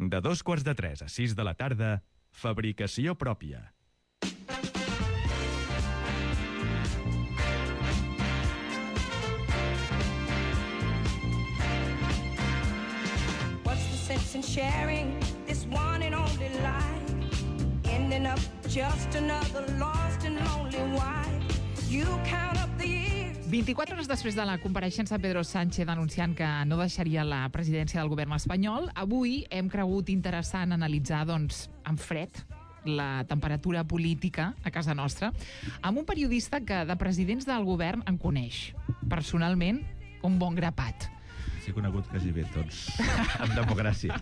De 2:45 a 6 de la tarda, fabricació pròpia. What's the sense in sharing this one and only life? Ending up just another lost and lonely wife. You count up the years. 24 hores després de la compareixença de Pedro Sánchez anunciant que no deixaria la presidència del govern espanyol, avui hem cregut interessant analitzar, doncs, en fred, la temperatura política a casa nostra, amb un periodista que de presidents del govern en coneix. Personalment, un bon grapat. He conegut quasi bé tots en democràcia.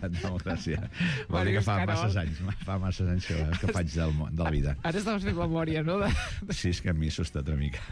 Vol dir que fa masses anys que faig de la vida. Ara estaves fent memòria, no? Sí, és que a mi s'ho està una mica.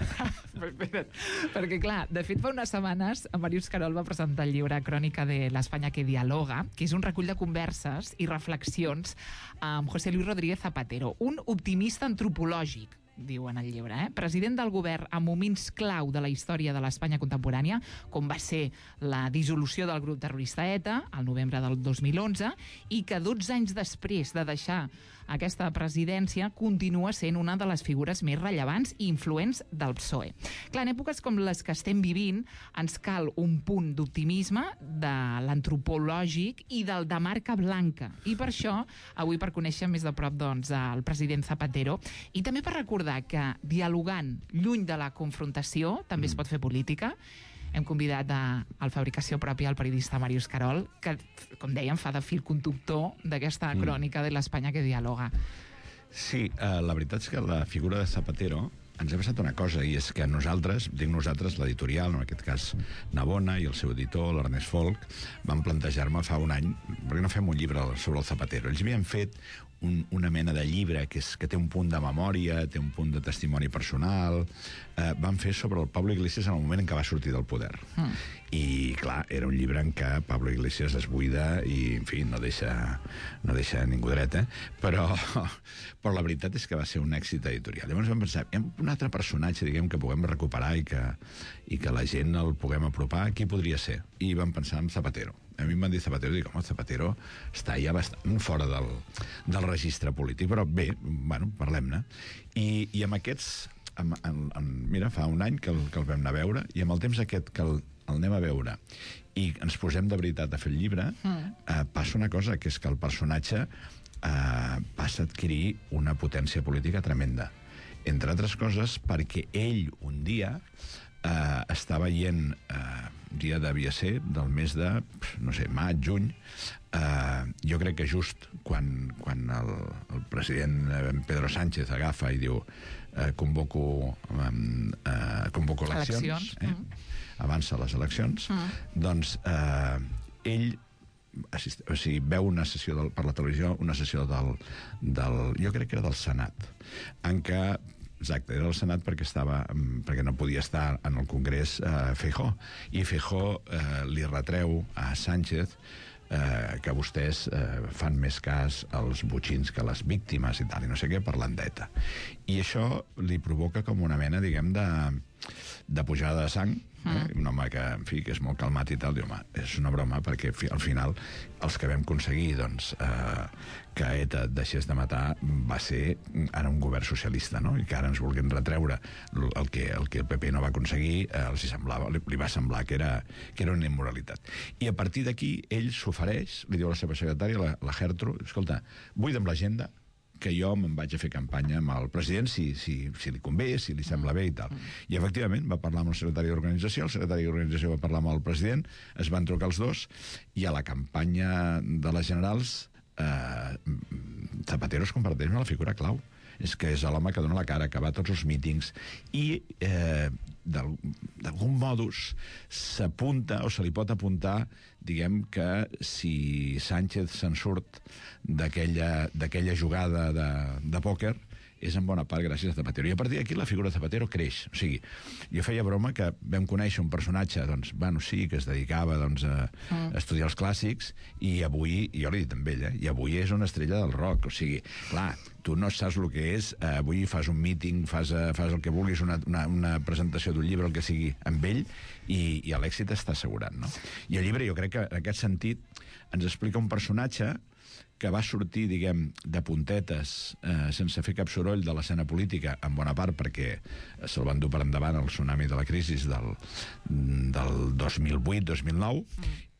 Perquè, clar, de fet, fa unes setmanes Màrius Carol va presentar el llibre Crònica de l'Espanya que dialoga, que és un recull de converses i reflexions amb José Luis Rodríguez Zapatero, un optimista antropològic, diu en el llibre, president del govern en moments clau de la història de l'Espanya contemporània, com va ser la dissolució del grup terrorista ETA al novembre del 2011, i que 12 anys després de deixar aquesta presidència continua sent una de les figures més rellevants i influents del PSOE. Clar, en èpoques com les que estem vivint ens cal un punt d'optimisme de l'antropològic i del de marca blanca, i per això avui, per conèixer més de prop, doncs, el president Zapatero, i també per recordar que dialogant lluny de la confrontació també es pot fer política, hem convidat al Fabricació Pròpia el periodista Màrius Carol, que, com dèiem, fa de fil conductor d'aquesta crònica de l'Espanya que dialoga. Sí, la veritat és que la figura de Zapatero ens ha passat una cosa, i és que nosaltres, dic nosaltres, l'editorial, en aquest cas Navona i el seu editor, l'Ernest Folk, van plantejar-me fa un any, perquè no fem un llibre sobre el Zapatero. Ells havien fet una mena de llibre que té un punt de memòria, té un punt de testimoni personal, van fer sobre el Pablo Iglesias en el moment en què va sortir del poder. I, clar, era un llibre en què Pablo Iglesias es buida i, en fi, no deixa ningú dret, però la veritat és que va ser un èxit editorial. Llavors vam pensar, hi ha un altre personatge, diguem, que puguem recuperar i que la gent el puguem apropar, qui podria ser? I vam pensar en Zapatero. A mi em van dir Zapatero, i dic, home, Zapatero està ja bastant fora del registre polític, però bé, bueno, parlem-ne. I amb aquests, mira, fa un any que el vam anar a veure, i amb el temps aquest que el anem a veure i ens posem de veritat a fer el llibre, passa una cosa, que és que el personatge passa a adquirir una potència política tremenda. Entre altres coses perquè ell un dia està veient, dia devia ser del mes de, no sé, maig, juny, jo crec que just quan el president Pedro Sánchez agafa i diu convoco eleccions, avança les eleccions, doncs ell veu una sessió per la televisió, una sessió jo crec que era del Senat, en què, exacte, era el Senat perquè no podia estar en el Congrés Feijóo, i Feijóo li retreu a Sánchez que vostès fan més cas als botxins que a les víctimes i tal, i no sé què, parlant d'ETA. I això li provoca com una mena, diguem, de pujada de sang, un home que, en fi, que és molt calmat i tal, diu, home, és una broma, perquè al final els que vam aconseguir, doncs, que ETA deixés de matar va ser ara un govern socialista, no? I que ara ens vulguin retreure el que el PP no va aconseguir, li va semblar que era una immoralitat. I a partir d'aquí ell s'ofereix, li diu a la seva secretària, la Gertrude, escolta, buida'm l'agenda, que jo me'n vaig a fer campanya amb el president si li convé, si li sembla bé i tal. I efectivament va parlar amb el secretari d'organització, el secretari d'organització va parlar amb el president, es van trucar els dos, i a la campanya de les generals Zapatero es converteix en la figura clau. És que és l'home que dona la cara, que va a tots els mítings, i d'algun modus s'apunta, o se li pot apuntar, diguem, que si Sánchez se'n surt d'aquella jugada de pòquer, és en bona part gràcies a Zapatero. I a partir d'aquí la figura de Zapatero creix. O sigui, jo feia broma que vam conèixer un personatge, doncs, bueno, sí, que es dedicava, doncs, a estudiar els clàssics, i avui, jo l'he dit amb ell, i avui és una estrella del rock. O sigui, clar, tu no saps el que és, avui fas un míting, fas el que vulguis, una presentació d'un llibre, el que sigui, amb ell, i l'èxit està assegurat, no? I el llibre, jo crec que en aquest sentit ens explica un personatge que va sortir, diguem, de puntetes, sense fer cap soroll de l'escena política, en bona part perquè se'l van dur per endavant el tsunami de la crisi del 2008-2009,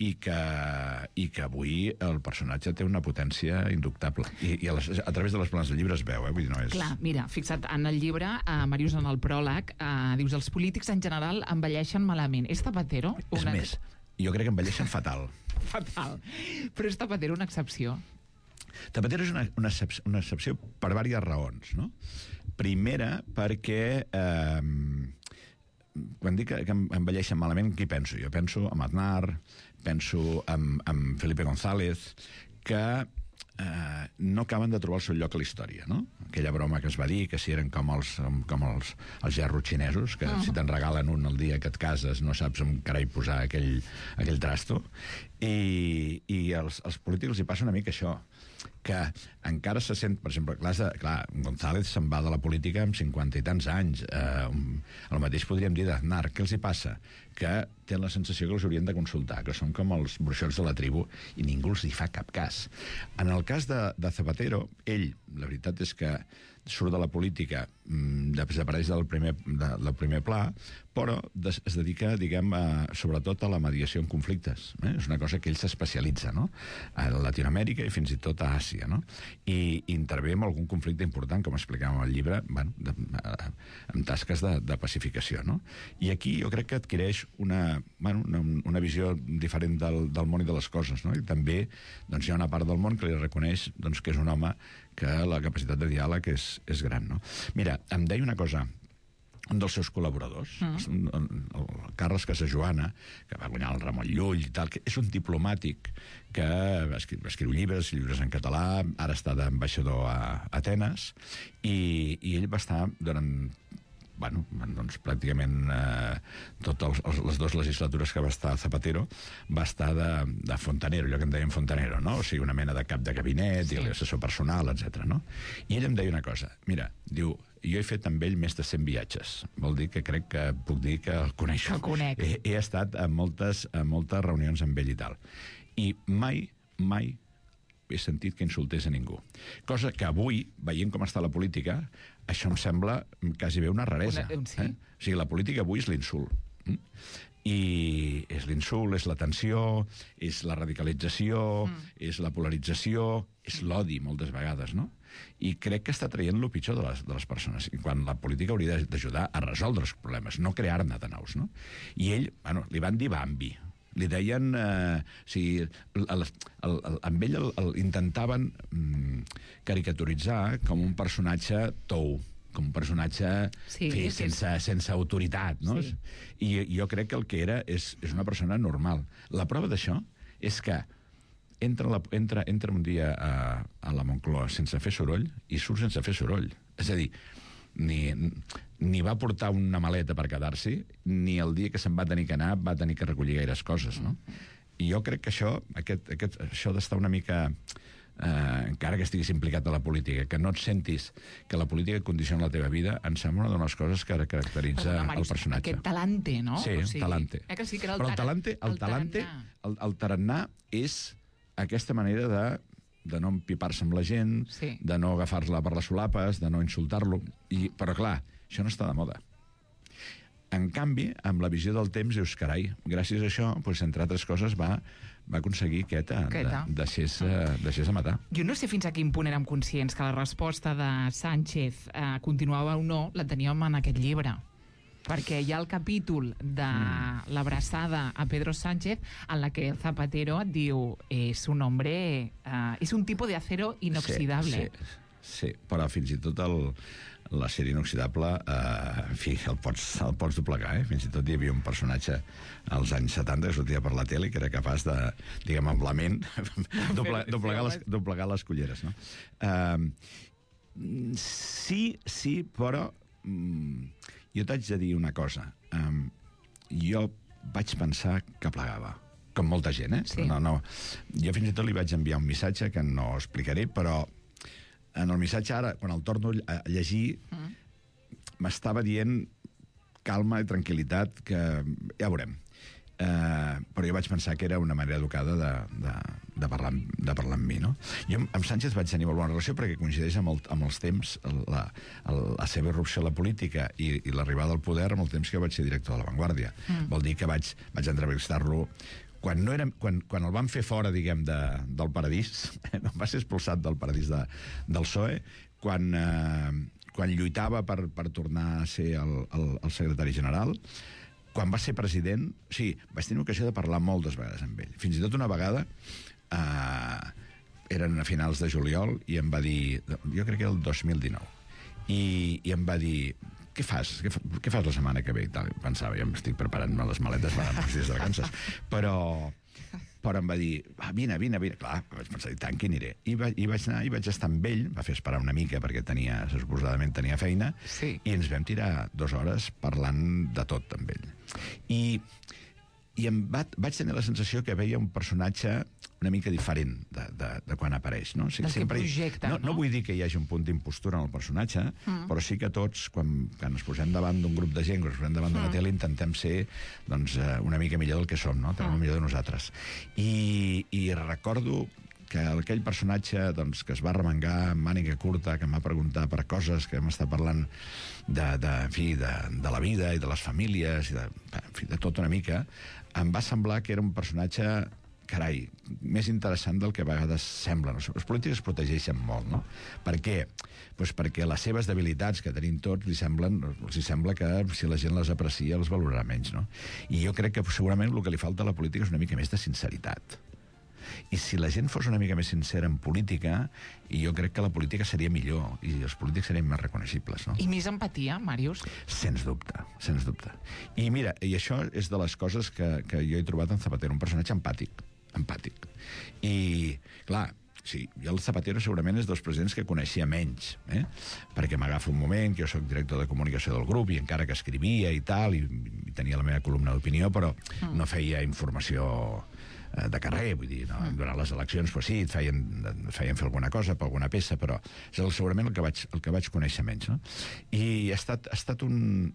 i que avui el personatge té una potència indubtable. I a través de les planes del llibre es veu, vull dir, no és... Clar, mira, fixa't, en el llibre, Màrius, en el pròleg, dius, els polítics en general envelleixen malament. És Zapatero? És més, jo crec que envelleixen fatal. Fatal. Però és Zapatero una excepció? Zapatero és una excepció per diverses raons, no? Primera, perquè quan dic que envelleixen malament, qui penso? Jo penso en Aznar, penso en Felipe González, que no acaben de trobar el seu lloc a la història, no? Aquella broma que es va dir, que si eren com els gerros xinesos, que si te'n regalen un al dia que et cases no saps on carai posar aquell trasto. I als polítics els hi passa una mica això, que encara se sent, per exemple, clar, González se'n va de la política amb 50 i tants anys. El mateix podríem dir d'Aznar. Què els hi passa? Que tenen la sensació que els haurien de consultar, que són com els bruixots de la tribu i ningú els hi fa cap cas. En el cas de Zapatero, ell, la veritat és que surt de la política, desapareix del primer pla, però es dedica, diguem, sobretot a la mediació en conflictes. És una cosa que ell s'especialitza, no? A Latinoamèrica i fins i tot a Àsia, no? I intervé en algun conflicte important, com explicàvem al llibre, amb tasques de pacificació, no? I aquí jo crec que adquireix una visió diferent del món i de les coses, no? I també hi ha una part del món que li reconeix que és un home que la capacitat de diàleg és gran, no? Mira, em deia una cosa, un dels seus col·laboradors, el Carles Casajoana, que va guanyar el Ramon Llull i tal, que és un diplomàtic que va escriure llibres en català, ara està d'ambaixador a Atenes, i ell va estar durant pràcticament totes les dues legislatures que va estar Zapatero, va estar de fontanero, allò que en deien fontanero, no? O sigui, una mena de cap de gabinet i l'assessor personal, etc. No? I ell em deia una cosa, mira, diu, jo he fet amb ell més de 100 viatges. Vol dir que crec que puc dir que el coneixo. El conec. He estat a moltes reunions amb ell i tal. I mai he sentit que insultés a ningú. Cosa que avui, veient com està la política, això em sembla quasi bé una raresa. O sigui, la política avui és l'insult. I és l'insult, és la tensió, és la radicalització, és la polarització, és l'odi, moltes vegades, no? I crec que està traient el pitjor de les persones, quan la política hauria d'ajudar a resoldre els problemes, no crear-ne de nous, no? I ell, li van dir Bambi, li deien... amb ell intentaven caricaturitzar com un personatge tou, com un personatge sense autoritat, no? Sí. I jo crec que el que era és una persona normal. La prova d'això és que entra un dia a la Moncloa sense fer soroll i surt sense fer soroll. És a dir, ni va portar una maleta per quedar-s'hi, ni el dia que se'n va tenir que anar va tenir que recollir gaires coses, no? I jo crec que això d'estar una mica... encara que estiguis implicat a la política, que no et sentis que la política condiciona la teva vida, em sembla una de les coses que caracteritza el personatge. Aquest talante, no? Sí, talante. Però el tarannà és aquesta manera de no empipar-se amb la gent, de no agafar-la per les solapes, de no insultar-lo. Però, clar, això no està de moda. En canvi, amb la visió del temps, dius, carai, gràcies a això, entre altres coses, va aconseguir deixés a matar. Jo no sé fins a quin punt érem conscients que la resposta de Sánchez continuava o no, la teníem en aquest llibre. Perquè hi ha el capítol de l'abraçada a Pedro Sánchez en la que Zapatero et diu és un hombre... és un tipus de acero inoxidable. Sí, però fins i tot l'acer inoxidable, en fi, el pots doblegar, Fins i tot hi havia un personatge als anys 70 que sortia per la tele que era capaç de, diguem, amb la ment, doblegar les culleres, no? Sí, però jo t'haig de dir una cosa. Jo vaig pensar que plegava, com molta gent, Sí. No. Jo fins i tot li vaig enviar un missatge que no explicaré, però en el missatge ara, quan el torno a llegir, m'estava dient calma i tranquil·litat, que ja veurem. però jo vaig pensar que era una manera educada de parlar amb mi, no? Jo amb Sánchez vaig tenir molt bona relació perquè coincideix amb els temps, la seva irrupció a la política i l'arribada al poder amb el temps que vaig ser director de La Vanguardia. Vol dir que vaig entrevistar-lo quan el van fer fora, diguem, del paradís, va ser expulsat del paradís del PSOE, quan lluitava per tornar a ser el secretari general, quan va ser president, sí, vaig tenir ocasió de parlar moltes vegades amb ell. Fins i tot una vegada, eren a finals de juliol, i em va dir, jo crec que era el 2019, i em va dir, què fas la setmana que ve? I tal. Pensava, jo m'estic preparant-me les maletes per anar uns dies de vacances. Però em va dir, vine. Clar, vaig pensar, tant que aniré. I vaig anar, i vaig estar amb ell, va fer esperar una mica, perquè suposadament tenia feina, sí. I ens vam tirar 2 hores parlant de tot amb ell. I vaig tenir la sensació que veia un personatge una mica diferent de quan apareix, no? Del que projecta, no? No vull dir que hi hagi un punt d'impostura en el personatge, però sí que tots, quan ens posem davant d'un grup de gent, quan ens posem davant d'una tele, intentem ser una mica millor del que som, no? Tenim el millor de nosaltres. I recordo que aquell personatge que es va remengar amb màniga curta, que em va preguntar per coses, que vam estar parlant de la vida i de les famílies, i de tot una mica, em va semblar que era un personatge, carai, més interessant del que a vegades sembla. Els polítics es protegeixen molt, no? Per què? Pues perquè les seves debilitats, que tenim tots, els sembla que si la gent les aprecia els valorarà menys, no? I jo crec que segurament el que li falta a la política és una mica més de sinceritat. I si la gent fos una mica més sincera en política, jo crec que la política seria millor i els polítics serien més reconeixibles, no? I més empatia, Màrius? Sens dubte, sens dubte. I mira, i això és de les coses que jo he trobat en Zapatero, un personatge empàtic. I, clar, sí, jo el Zapatero segurament és dels presidents que coneixia menys, perquè m'agafa un moment, que jo soc director de comunicació del grup, i encara que escrivia i tal, i tenia la meva columna d'opinió, però no feia informació de carrer, vull dir, no? Durant les eleccions, pues sí, et feien fer alguna cosa per alguna peça, però és segurament el que vaig conèixer menys, no? I ha estat un...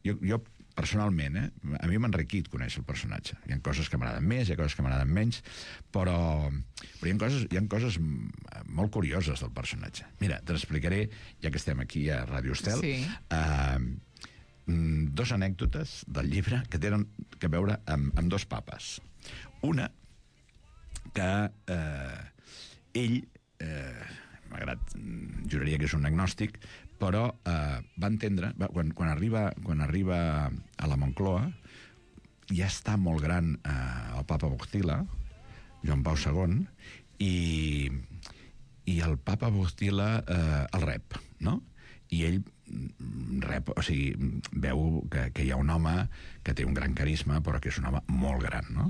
Jo personalment, a mi m'ha enriquit conèixer el personatge. Hi ha coses que m'agraden més, hi ha coses que m'agraden menys, però hi ha coses molt curioses del personatge. Mira, te l'explicaré, ja que estem aquí a Ràdio Estel, sí. 2 anècdotes del llibre que tenen a veure amb 2 papes. Una, que ell, malgrat juraria que és un agnòstic, però va entendre, quan arriba a la Moncloa, ja està molt gran el papa Wojtyla, Joan Pau II, i el papa Wojtyla el rep, no? I ell rep, o sigui, veu que hi ha un home que té un gran carisma, però que és un home molt gran, no?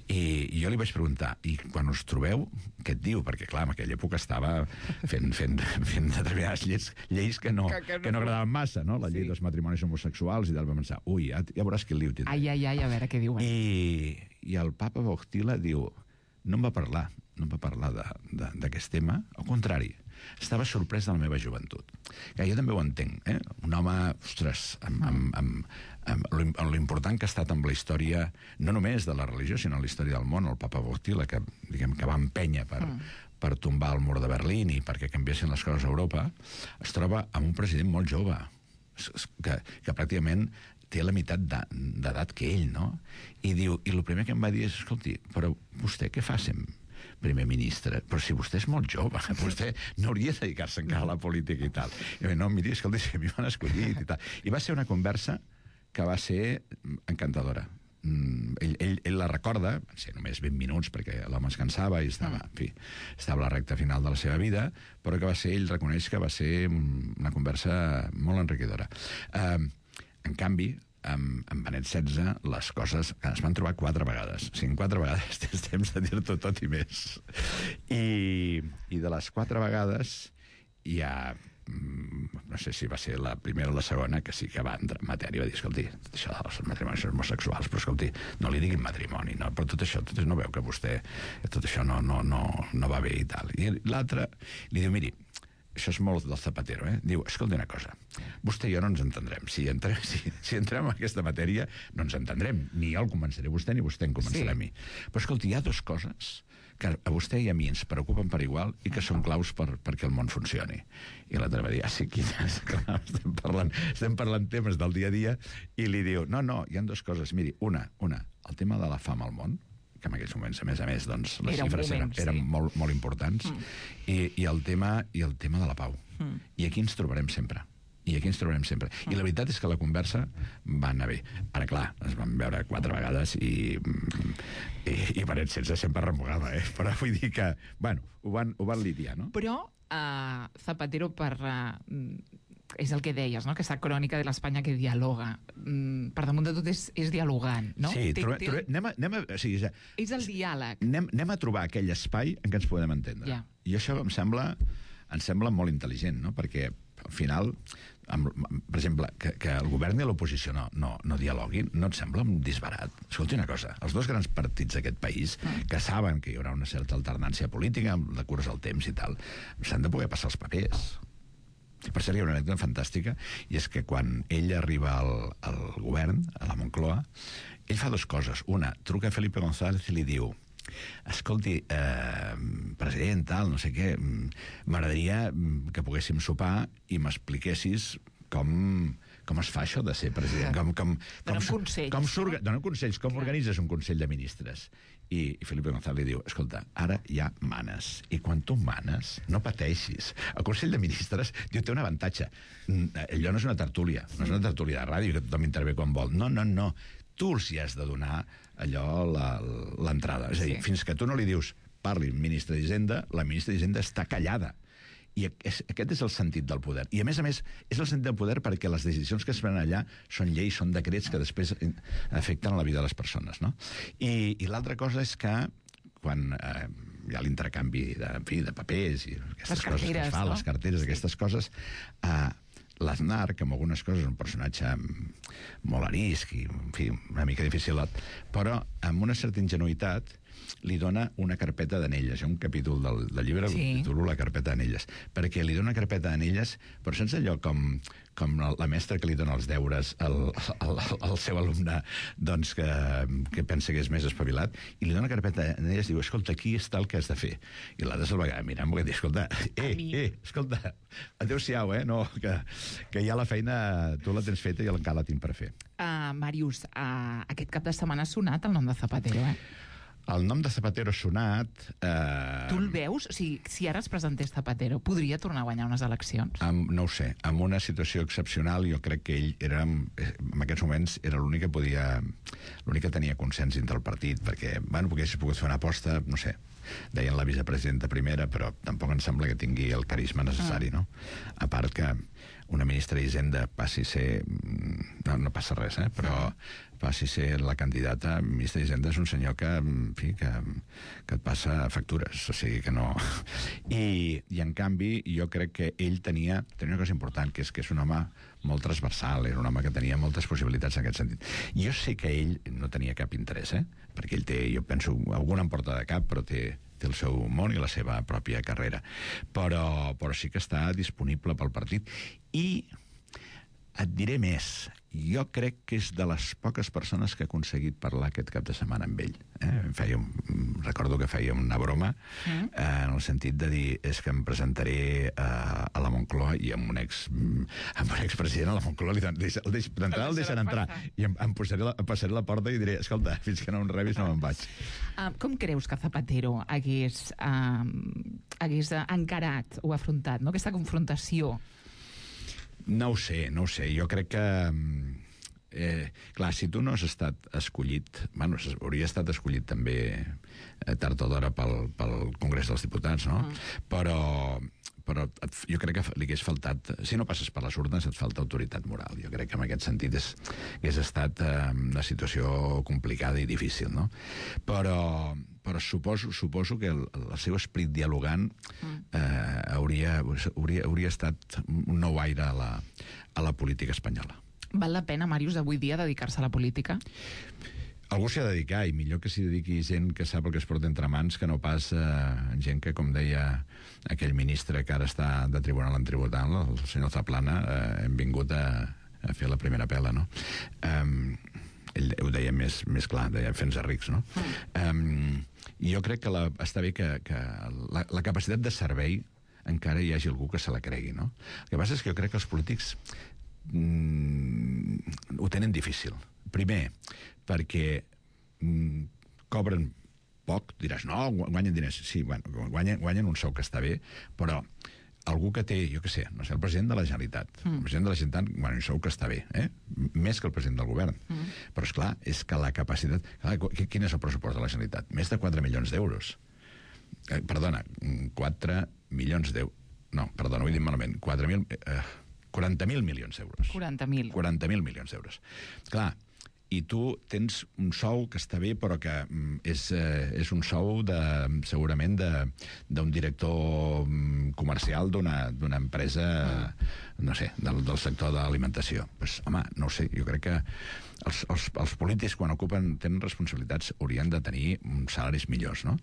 I jo li vaig preguntar, i quan us trobeu, què et diu? Perquè, clar, en aquella època estava fent determinades lleis que no agradaven massa, no? La llei dels matrimonis homosexuals, i tal, va pensar, ui, ja veuràs quin liu tindrà. Ai, a veure què diuen. I el papa Wojtyla diu, no em va parlar d'aquest tema, al contrari, estava sorprès de la meva joventut. Que jo també ho entenc, Un home, ostres, amb l'important que ha estat amb la història, no només de la religió, sinó en la història del món, el papa Wojtyla, que va empènyer per tombar el mur de Berlín i perquè canviessin les coses a Europa, es troba amb un president molt jove, que pràcticament té la meitat d'edat que ell, no? I diu, i el primer que em va dir és, escolti, però vostè què fa sempre? Primer ministre, però si vostè és molt jove, vostè no hauria de dedicar-se encara a la política i tal. I jo, no, miri, escolti, si a mi m'han escollit i tal. I va ser una conversa que va ser encantadora. Ell la recorda, van ser només 20 minuts, perquè l'home es cansava i estava a la recta final de la seva vida, però que ell reconeix que va ser una conversa molt enriquidora. En canvi, amb Benet XVI, les coses que es van trobar 4 vegades. O sigui, 4 vegades tens temps de dir-t'ho tot i més. I de les 4 vegades hi ha, no sé si va ser la primera o la segona, que sí que va entrar en matèria i va dir, escolti, tot això dels matrimonis homosexuals, però escolti, no li diguin matrimoni, no, però tot això no veu que vostè, tot això no va bé i tal. I l'altre li diu, miri, això és molt del Zapatero, diu, escolta una cosa, vostè i jo no ens entendrem. Si entrem en aquesta matèria, no ens entendrem. Ni jo el convenceré a vostè, ni vostè em convencerà a mi. Però, escolta, hi ha dues coses que a vostè i a mi ens preocupen per igual i que són claus perquè el món funcioni. I l'altre va dir, sí, clar, estem parlant temes del dia a dia, i li diu, no, hi ha dues coses. Miri, una, el tema de la fam al món, que en aquells moments, a més, doncs, les xifres eren molt importants, i el tema de la pau. I aquí ens trobarem sempre. I la veritat és que la conversa va anar bé. Ara, clar, es van veure 4 vegades i paret sense sempre remugava, Però vull dir que, bueno, ho van lidiar, no? Però Zapatero és el que deies, no? Aquesta crònica de l'Espanya que dialoga. Per damunt de tot és dialogant, no? Sí, és el diàleg. Anem a trobar aquell espai en què ens podem entendre. Yeah. I això em sembla molt intel·ligent, no? Perquè, al final, per exemple, que el govern i l'oposició no dialoguin, no et sembla un disbarat? Escolti una cosa, els dos grans partits d'aquest país, que saben que hi haurà una certa alternància política amb la curs al temps i tal, s'han de poder passar els papers. Per cert, hi ha una anècdota fantàstica, i és que quan ell arriba al govern, a la Moncloa, ell fa 2 coses. Una, truca a Felipe González i li diu, escolti, president, tal, no sé què, m'agradaria que poguéssim sopar i m'expliquessis com es fa això de ser president. Dóna consells, com organitzes un Consell de Ministres. I Felipe González li diu, escolta, ara ja manes, i quan tu manes, no pateixis. El Consell de Ministres, diu, té un avantatge. Allò no és una tertúlia, no és una tertúlia de ràdio, que tothom intervé quan vol. No. Tu els hi has de donar allò l'entrada. És a dir, fins que tu no li dius, parli ministre d'Hisenda, la ministra d'Hisenda està callada. I aquest és el sentit del poder. I, a més, és el sentit del poder perquè les decisions que es prenen allà són lleis, són decrets que després afecten la vida de les persones, no? I l'altra cosa és que quan hi ha l'intercanvi de papers i aquestes coses que es fan, les carteres, aquestes coses, l'Aznar, que amb algunes coses és un personatge molt arisc i, en fi, una mica difícil, però amb una certa ingenuïtat li dona una carpeta d'anelles. Hi ha un capítol del llibre que titulo La carpeta d'anelles, perquè li dona una carpeta d'anelles, però sense allò com la mestra que li dona els deures al seu alumne, doncs, que pensa que és més espavilat, i li dona una carpeta d'anelles i diu, escolta, aquí està el que has de fer. I l'altre se'l va quedar mirant, perquè diu, escolta, escolta, adéu-siau, no, que ja la feina tu la tens feta i encara la tinc per fer. Màrius, aquest cap de setmana ha sonat el nom de Zapatero, El nom de Zapatero ha sonat... Tu el veus? O sigui, si ara es presentés Zapatero, podria tornar a guanyar unes eleccions? No ho sé. En una situació excepcional, jo crec que ell era, en aquests moments, era l'únic que podia... l'únic que tenia consens dintre el partit, perquè, bueno, perquè hagués pogut fer una aposta, no sé, deien la vicepresidenta primera, però tampoc em sembla que tingui el carisma necessari, no? A part que una ministra d'Hisenda passi a ser... No passa res, però passi a ser la candidata, ministre d'Hisenda és un senyor que, en fi, que et passa factures, o sigui que no... I en canvi, jo crec que ell tenia una cosa important, que és un home molt transversal, era un home que tenia moltes possibilitats en aquest sentit. Jo sé que ell no tenia cap interès, perquè ell té, jo penso, alguna en porta de cap, però té el seu món i la seva pròpia carrera. Però sí que està disponible pel partit. I et diré més, jo crec que és de les poques persones que ha aconseguit parlar aquest cap de setmana amb ell. Recordo que feia una broma en el sentit de dir, és que em presentaré a la Moncloa i amb un expresident a la Moncloa d'entrada el deixen entrar i em passaré la porta i diré, escolta, fins que no em rebis no me'n vaig. Com creus que Zapatero hagués encarat o afrontat aquesta confrontació? No ho sé. Jo crec que... clar, si tu no has estat escollit... Bueno, hauria estat escollit també tard o d'hora pel Congrés dels Diputats, no? Però jo crec que li hagués faltat... Si no passes per les urnes, et falta autoritat moral. Jo crec que en aquest sentit hagués estat una situació complicada i difícil, no? Però suposo que el seu esperit dialogant hauria estat un nou aire a la política espanyola. Val la pena, Màrius, avui dia dedicar-se a la política? Algú s'hi ha de dedicar, i millor que s'hi dediqui gent que sap el que es porta entre mans, que no pas gent que, com deia aquell ministre que ara està de tribunal en tribunal, el senyor Zaplana, hem vingut a fer la primera pela, no? Ell ho deia més clar, deia fent-se rics, no? I jo crec que està bé que la capacitat de servei encara hi hagi algú que se la cregui, no? El que passa és que jo crec que els polítics ho tenen difícil. Primer, perquè cobren poc, diràs, no, guanyen diners. Sí, guanyen un sou que està bé, però algú que té, jo què sé, no sé, el president de la Generalitat. El president de la Generalitat guanya un sou que està bé, més que el president del govern. Però, esclar, és que la capacitat... Quin és el pressupost de la Generalitat? Més de 4 milions d'euros. Perdona, 4 milions d'euros. No, perdona, ho he dit malament. 40.000 milions d'euros. 40.000. 40.000 milions d'euros. Clar, i tu tens un sou que està bé, però que és un sou segurament d'un director comercial d'una empresa, no sé, del sector de l'alimentació. Pues, home, no ho sé, jo crec que els polítics, quan tenen responsabilitats, haurien de tenir salaris millors, no?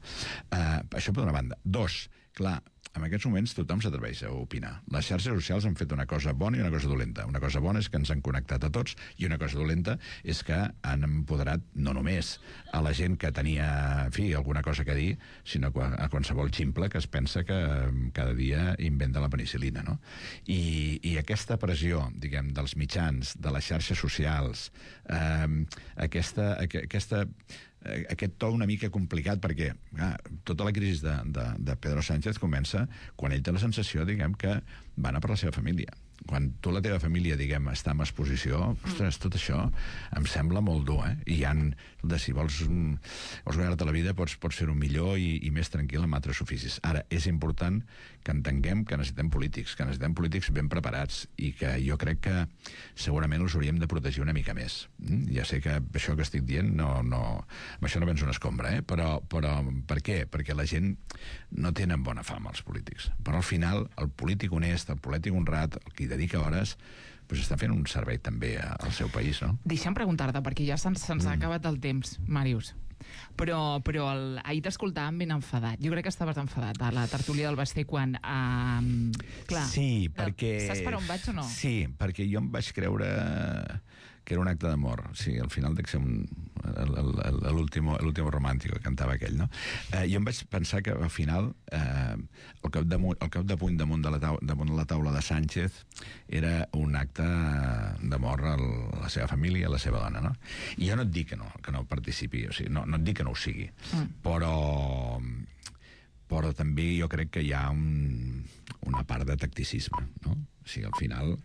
Això per una banda. Dos, clar, en aquests moments tothom s'atreveix a opinar. Les xarxes socials han fet una cosa bona i una cosa dolenta. Una cosa bona és que ens han connectat a tots, i una cosa dolenta és que han empoderat no només a la gent que tenia, en fi, alguna cosa que dir, sinó a qualsevol ximple que es pensa que cada dia inventa la penicil·lina, no? I aquesta pressió, diguem, dels mitjans, de les xarxes socials, aquest to una mica complicat, perquè tota la crisi de Pedro Sánchez comença quan ell té la sensació, diguem, que va anar per la seva família. Quan tu, la teva família, diguem, està en exposició, ostres, tot això em sembla molt dur, I si vols guanyar-te la vida, pots fer-ho millor i més tranquil amb altres oficis. Ara, és important que entenguem que necessitem polítics ben preparats, i que jo crec que segurament els hauríem de protegir una mica més. Ja sé que això que estic dient, amb això no vens una escombra, però per què? Perquè la gent no tenen bona fama, els polítics. Però al final, el polític honest, el polític honrat, el que hi dedica hores, doncs està fent un servei també al seu país, no? Deixa'm preguntar-te, perquè ja se'ns ha acabat el temps, Màrius. Però ahir t'escoltàvem ben enfadat. Jo crec que estaves enfadat a la tertúlia del Basté quan... clar, sí, perquè... Saps per on vaig o no? Sí, perquè jo em vaig creure que era un acte d'amor. Sí, al final dec ser l'último romàntico que cantava aquell, no? Jo em vaig pensar que al final el cap de puny damunt de la taula de Sánchez era un acte d'amor a la seva família, a la seva dona, no? I jo no et dic que no participi, o sigui, no et dic que no ho sigui, però també jo crec que hi ha una part de tacticisme, no? O sigui, al final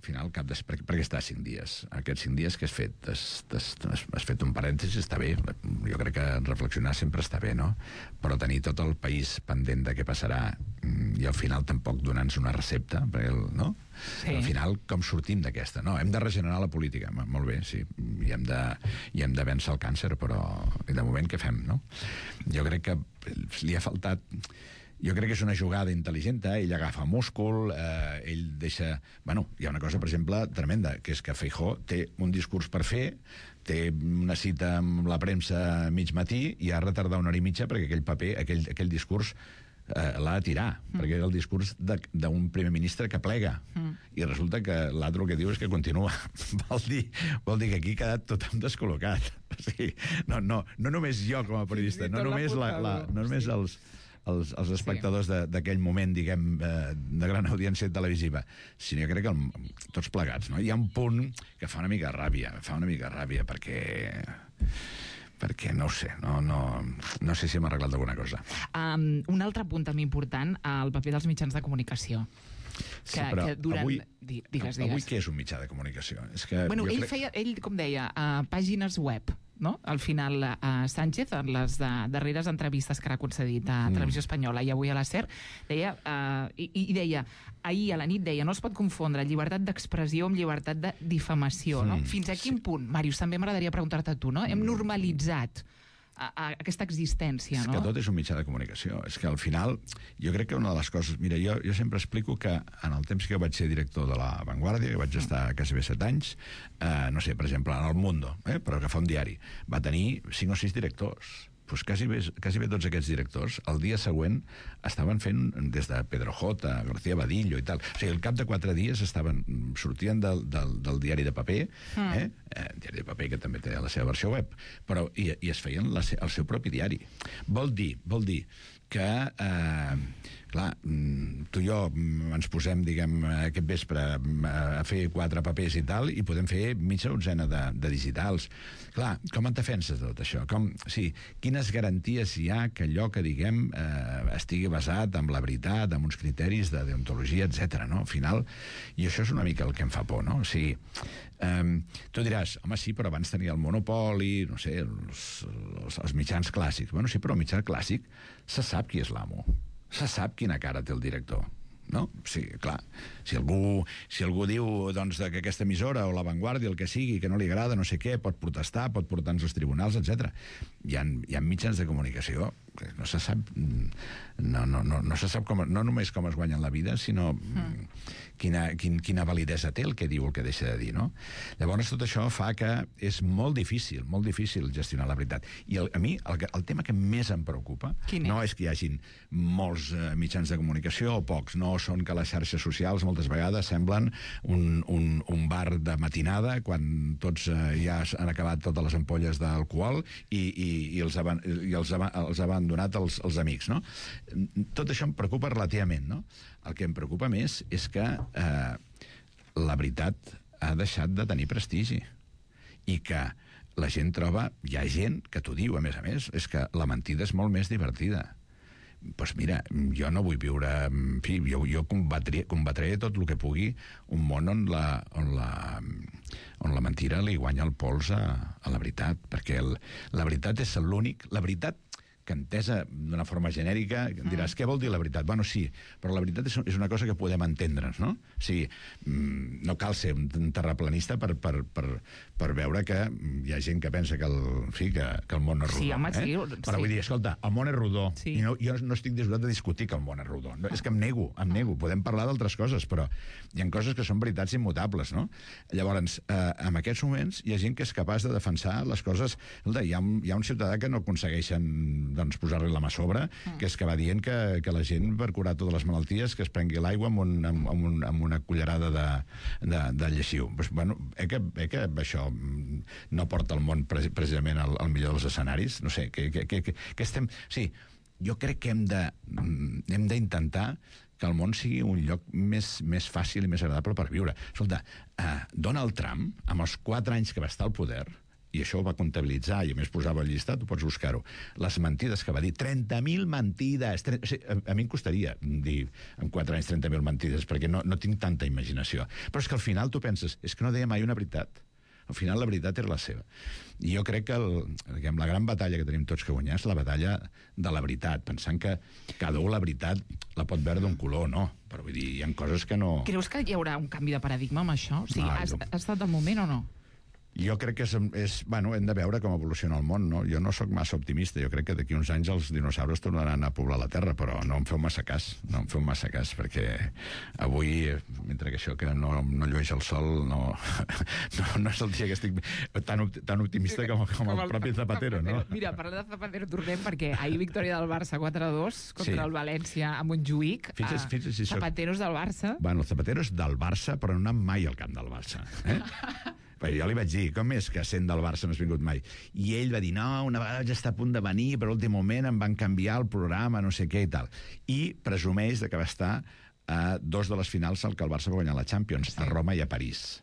perquè està 5 dies. Aquests 5 dies que has fet? Has fet un parèntesi, està bé. Jo crec que reflexionar sempre està bé, no? Però tenir tot el país pendent de què passarà i al final tampoc donar-nos una recepta, no? Sí. Al final, com sortim d'aquesta? No, hem de regenerar la política. Molt bé, sí. I hem de vèncer el càncer, però de moment què fem, no? Jo crec que li ha faltat... Jo crec que és una jugada intel·ligent, ell agafa múscul, ell deixa... Bueno, hi ha una cosa, per exemple, tremenda, que és que Feijóo té un discurs per fer, té una cita amb la premsa a mig matí i ha de retardar 1 hora i mitja perquè aquell paper, aquell discurs l'ha de tirar, perquè és el discurs d'un primer ministre que plega. I resulta que l'altre el que diu és que continua. Vol dir que aquí ha quedat tothom descol·locat. O sigui, no només jo com a periodista, no només els espectadors d'aquell moment, diguem, de gran audiència televisiva, sinó jo crec que tots plegats, no? Hi ha un punt que fa una mica ràbia, perquè no ho sé, no sé si hem arreglat alguna cosa. Un altre punt també important, el paper dels mitjans de comunicació. Sí, però avui Digues. què és un mitjà de comunicació? Bueno, ell, com deia, pàgines web, no? Al final, Sánchez, en les darreres entrevistes que ha concedit a Televisió Espanyola i avui a la SER, deia, ahir a la nit deia, no es pot confondre llibertat d'expressió amb llibertat de difamació, no? Fins a quin punt, Màrius, també m'agradaria preguntar-te a tu, no? Hem normalitzat a aquesta existència, És no? que tot és un mitjà de comunicació. És que al final, jo crec que una de les coses... Mira, jo sempre explico que en el temps que jo vaig ser director de La Vanguardia, que vaig estar quasi bé 7 anys, no sé, per exemple, en El Mundo, per agafar un diari, va tenir 5 o 6 directors. Pues quasi bé tots aquests directors el dia següent estaven fent des de Pedro J, García Badillo i tal. O sigui, al cap de 4 dies sortien del diari de paper, diari de paper que també té la seva versió web, però i es feien el seu propi diari. Vol dir que clar, tu i jo ens posem, diguem, aquest vespre a fer 4 papers i tal, i podem fer mitja dotzena de digitals. Clar, com et defenses de tot això? Quines garanties hi ha que allò que diguem estigui basat en la veritat, en uns criteris de deontologia, etc. No? Al final, i això és una mica el que em fa por, no? O sigui, tu diràs, home, sí, però abans tenia el monopoli, no sé, els mitjans clàssics. Bueno, sí, però el mitjà clàssic se sap qui és l'amo. Se sap quina cara té el director, no? Sí, clar. Si algú diu doncs, que aquesta emissora o La Vanguardia, el que sigui, que no li agrada, no sé què, pot protestar, pot portar-nos als tribunals, etc. Hi ha mitjans de comunicació que no se sap no se sap no només com es guanyen la vida, sinó quina validesa té el que diu, el que deixa de dir, no? Llavors tot això fa que és molt difícil gestionar la veritat. I a mi el tema que més em preocupa no és que hi hagin molts mitjans de comunicació o pocs, no són que les xarxes socials moltes vegades semblen un bar de matinada quan tots ja han acabat totes les ampolles d'alcohol i els han donat els amics, no? Tot això em preocupa relativament, no? El que em preocupa més és que la veritat ha deixat de tenir prestigi i que la gent troba... Hi ha gent que t'ho diu, a més, és que la mentida és molt més divertida. Doncs mira, jo no vull viure... En fi, jo combatré tot el que pugui un món on la mentira li guanya el pols a la veritat, perquè la veritat és l'únic... La veritat que entesa d'una forma genèrica, diràs, què vol dir la veritat? Bueno, sí, però la veritat és una cosa que podem entendre'ns, no? O sigui, no cal ser un terraplanista per veure que hi ha gent que pensa que el món és rodó. Sí, home, sí. Però vull dir, escolta, el món és rodó, i jo no estic disposat a discutir que el món és rodó. És que em nego. Podem parlar d'altres coses, però hi ha coses que són veritats immutables, no? Llavors, en aquests moments, hi ha gent que és capaç de defensar les coses... Escolta, hi ha un ciutadà que no aconsegueixen posar-li la mà a sobre, que és que va dient que la gent, per curar totes les malalties, que es prengui l'aigua amb una cullerada de lleixiu. Pues, bueno, que això no porta el món precisament al millor dels escenaris. No sé, que estem... Sí, jo crec que hem d'intentar que el món sigui un lloc més fàcil i més agradable per viure. Escolta, Donald Trump, amb els 4 anys que va estar al poder, i això ho va comptabilitzar, i a més posava el llistat, tu pots buscar-ho, les mentides que va dir, 30.000 mentides, a mi em costaria dir en 4 anys 30.000 mentides, perquè no tinc tanta imaginació. Però és que al final tu penses, és que no deia mai una veritat. Al final la veritat era la seva. I jo crec que la gran batalla que tenim tots que guanyar és la batalla de la veritat, pensant que cada un la veritat la pot veure d'un color, no. Però vull dir, hi ha coses que no... Creus que hi haurà un canvi de paradigma amb això? O sigui, ha estat el moment o no? Jo crec que bueno, hem de veure com evoluciona el món, no? Jo no sóc massa optimista, jo crec que d'aquí uns anys els dinosaures tornaran a poblar la Terra, però no em feu massa cas, perquè avui, mentre que això que no llueix el sol, no és el dia que estic tan optimista com el propi Zapatero, no? Mira, parlant de Zapatero, tornem, perquè ahir victòria del Barça 4-2 contra el València a Montjuïc. Zapateros del Barça. Bueno, Zapateros del Barça, però no anant mai al camp del Barça, Però jo li vaig dir, com és que sent del Barça no has vingut mai? I ell va dir, no, una vegada vaig estar a punt de venir, però a l'últim moment em van canviar el programa, no sé què i tal. I presumeix que va estar a 2 de les finals al que el Barça va guanyar la Champions, a Roma i a París.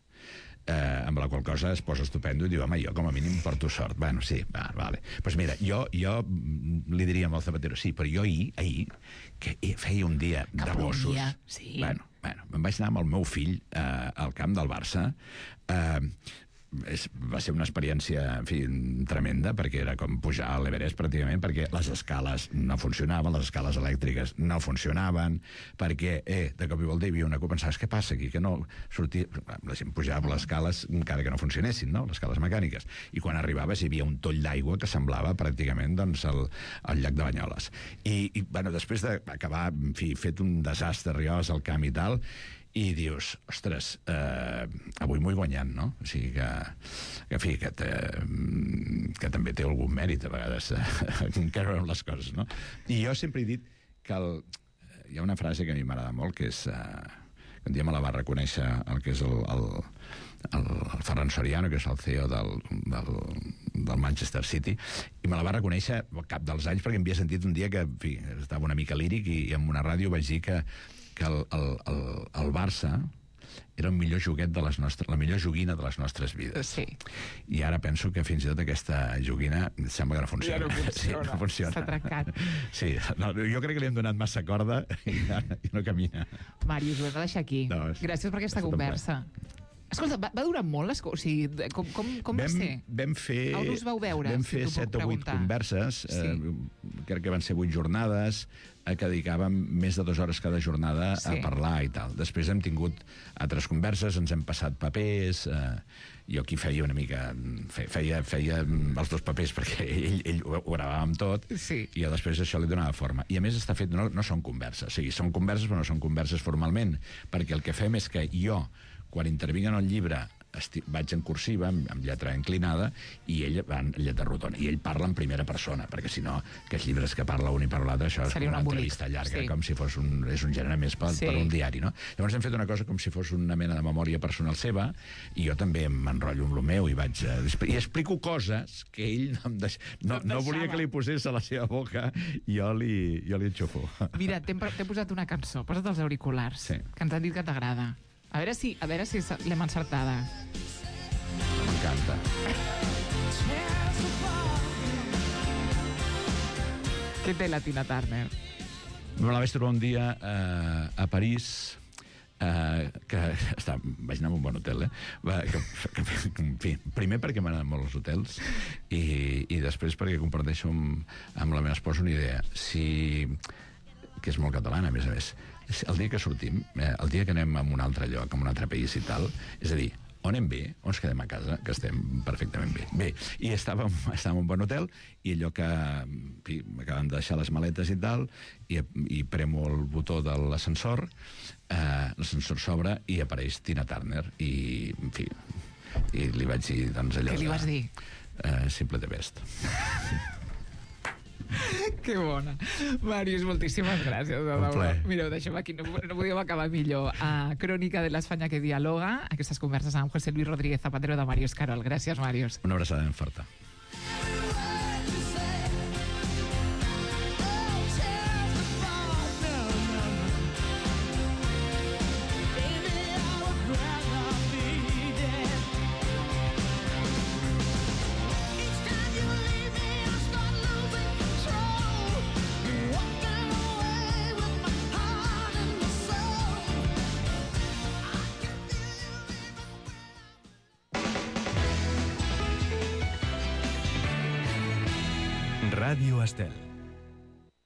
Amb la qual cosa es posa estupendo i diu, home, jo com a mínim porto sort. Bueno, sí, vale. Doncs mira, jo li diria al Zapatero, sí, però jo ahir que feia un dia de gossos... Bueno, me'n vaig anar amb el meu fill al camp del Barça. va ser una experiència, en fi, tremenda, perquè era com pujar a l'Everest pràcticament, perquè les escales no funcionaven, les escales elèctriques no funcionaven, perquè, de cop i volta hi havia una cosa, pensaves, què passa aquí? Que no sortia... La gent pujava les escales encara que no funcionessin, no?, les escales mecàniques. I quan arribaves hi havia un toll d'aigua que semblava pràcticament, doncs, el llac de Banyoles. I bueno, després d'acabar, en fi, fet un desastre, arribaves al camp i tal, i dius, ostres, avui m'ho he guanyat, no? O sigui que en fi, que també té algun mèrit a vegades creure en les coses, no? I jo sempre he dit que hi ha una frase que a mi m'agrada molt, que és que un dia me la va reconèixer el que és el Ferran Soriano, que és el CEO del Manchester City, i me la va reconèixer al cap dels anys perquè em havia sentit un dia que, en fi, estava una mica líric i en una ràdio vaig dir que el Barça era el millor joguet de la millor joguina de les nostres vides. Sí. I ara penso que fins i tot aquesta joguina sembla que no funciona. Ja no funciona. Sí, no funciona. S'ha trencat. Sí, no, jo crec que li hem donat massa corda i no camina. Màrius, ho hem de deixar aquí. No, gràcies per aquesta conversa. Escolta, va durar molt? O sigui, com va ser? Vam fer... On us vau veure? Vam fer 7 o 8 converses, crec que van ser 8 jornades, que dedicàvem més de 2 hores cada jornada a parlar i tal. Després hem tingut altres converses, ens hem passat papers, jo aquí feia una mica... Feia els 2 papers perquè ell ho gravàvem tot, i jo després això li donava forma. I a més està fet... No són converses, o sigui, són converses però no són converses formalment, perquè el que fem és que jo, quan intervinc en el llibre, vaig en cursiva, amb lletra inclinada, i ell va en lletra rodona. I ell parla en primera persona, perquè si no, aquests llibres que parla un i parla l'altre, això és com una entrevista llarga, com si fos és un gènere més per un diari, no? Llavors hem fet una cosa com si fos una mena de memòria personal seva, i jo també m'enrotllo amb el meu i vaig... I explico coses que ell no volia que li posés a la seva boca, i jo li enxufo. Mira, t'he posat una cançó, posa't els auriculars, que ens han dit que t'agrada. A veure si l'hem encertada. M'encanta. Què té la Tina Turner? Me la vaig trobar un dia a París, que vaig anar a un bon hotel, en fi, primer perquè m'agraden molt els hotels i després perquè comparteixo amb la meva esposa una idea, que és molt catalana, a més. El dia que sortim, el dia que anem a un altre lloc, a un altre país i tal, és a dir, on anem bé, on ens quedem a casa, que estem perfectament bé. Bé, i estàvem en un bon hotel, i allò que m'acaben de deixar les maletes i tal, i premo el botó de l'ascensor, l'ascensor s'obre i apareix Tina Turner, i, en fi, i li vaig dir, doncs, allò... Què li vas dir? Simple the best. Que bona. Màrius, moltíssimes gràcies. Un plaer. Mira, ho deixem aquí, no podíem acabar millor. Crònica de l'Espanya que dialoga, aquestes converses amb José Luis Rodríguez Zapatero de Màrius Carol. Gràcies, Màrius. Una abraçada ben forta. Ràdio Estel.